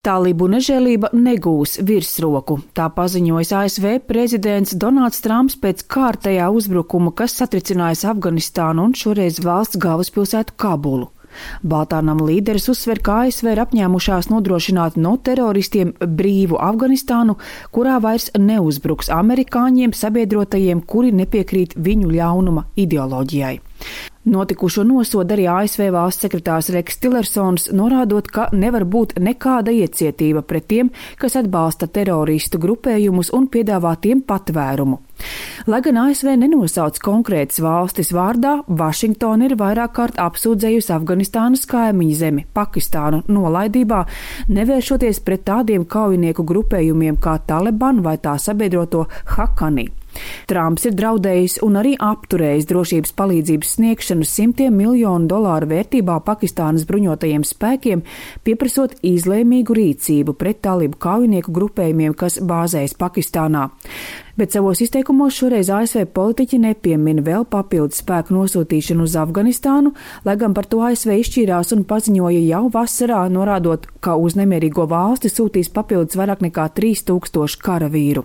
Talibu nežēlība negūs virsroku, tā paziņojas ASV prezidents Donalds Trumps pēc kārtējā uzbrukuma, kas satricinājis Afganistānu un šoreiz valsts galvaspilsētu Kabulu. Baltā nama līderis uzsver, ka ASV ir apņēmušās nodrošināt no teroristiem brīvu Afganistānu, kurā vairs neuzbruks amerikāņiem sabiedrotajiem, kuri nepiekrīt viņu ļaunuma ideoloģijai. Notikušo nosoda arī ASV valsts sekretārs Reks Tillersons, norādot, ka nevar būt nekāda iecietība pret tiem, kas atbalsta teroristu grupējumus un piedāvā tiem patvērumu. Lai gan ASV nenosauc konkrētas valstis vārdā, Vašingtona ir vairāk kārt apsūdzējusi Afganistānas kaimiņu zemi, Pakistānu, nolaidībā, nevēršoties pret tādiem kaujinieku grupējumiem kā Taliban vai tā sabiedroto Hakani. Trumps ir draudējis un arī apturējis drošības palīdzības sniegšanu $100 miljonu vērtībā Pakistānas bruņotajiem spēkiem, pieprasot izlēmīgu rīcību pret talibu kaujinieku grupējumiem, kas bāzējas Pakistānā. Bet savos izteikumos šoreiz ASV politiķi nepiemina vēl papildus spēku nosūtīšanu uz Afganistānu, lai gan par to ASV izšķīrās un paziņoja jau vasarā, norādot, ka uz nemierīgo valsti sūtīs papildus vairāk nekā 3000 karavīru.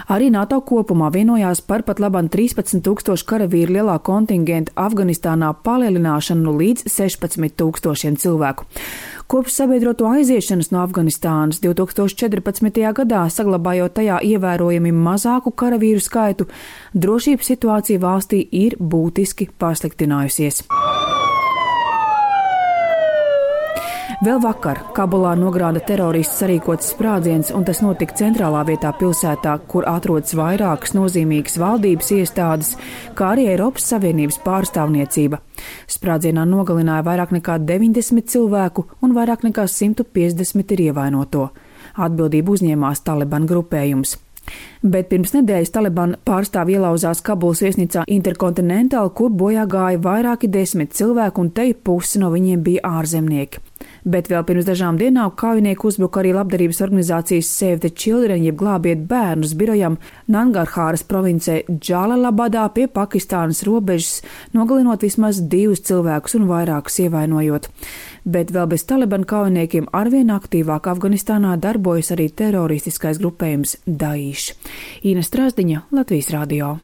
Arī NATO kopumā vienojās par pat labam 13,000 karavīru lielā kontingenta Afganistānā palielināšanu līdz 16,000 cilvēku. Kopš sabiedroto aiziešanas no Afganistānas 2014. gadā, saglabājot tajā ievērojami mazāku karavīru skaitu, drošības situācija valstī ir būtiski pasliktinājusies. Vēl vakar Kabulā nogrāda terorists sarīkots sprādziens, un tas notika centrālā vietā pilsētā, kur atrodas vairākas nozīmīgas valdības iestādes, kā arī Eiropas Savienības pārstāvniecība. Sprādzienā nogalināja vairāk nekā 90 cilvēku un vairāk nekā 150 ir ievainoto. Atbildību uzņēmās Taliban grupējums. Bet pirms nedēļas Taliban pārstāvji ielauzās Kabulas viesnīcā Intercontinental, kur bojā gāja vairāki 10 cilvēku, un te pusi no viņiem bija ārzemnieki. Bet vēl pirms dažām dienām kaujinieku uzbruka arī labdarības organizācijas Save the Children, jeb glābiet bērnus birojam Nangarhāras provincē Džalalabadā pie Pakistānas robežas, nogalinot vismaz 2 cilvēkus un vairākus ievainojot. Bet vēl bez Taliban kaujiniekiem arvien aktīvāk Afganistānā darbojas arī teroristiskais grupējums Daesh. Ina Strasdiņa, Latvijas radio.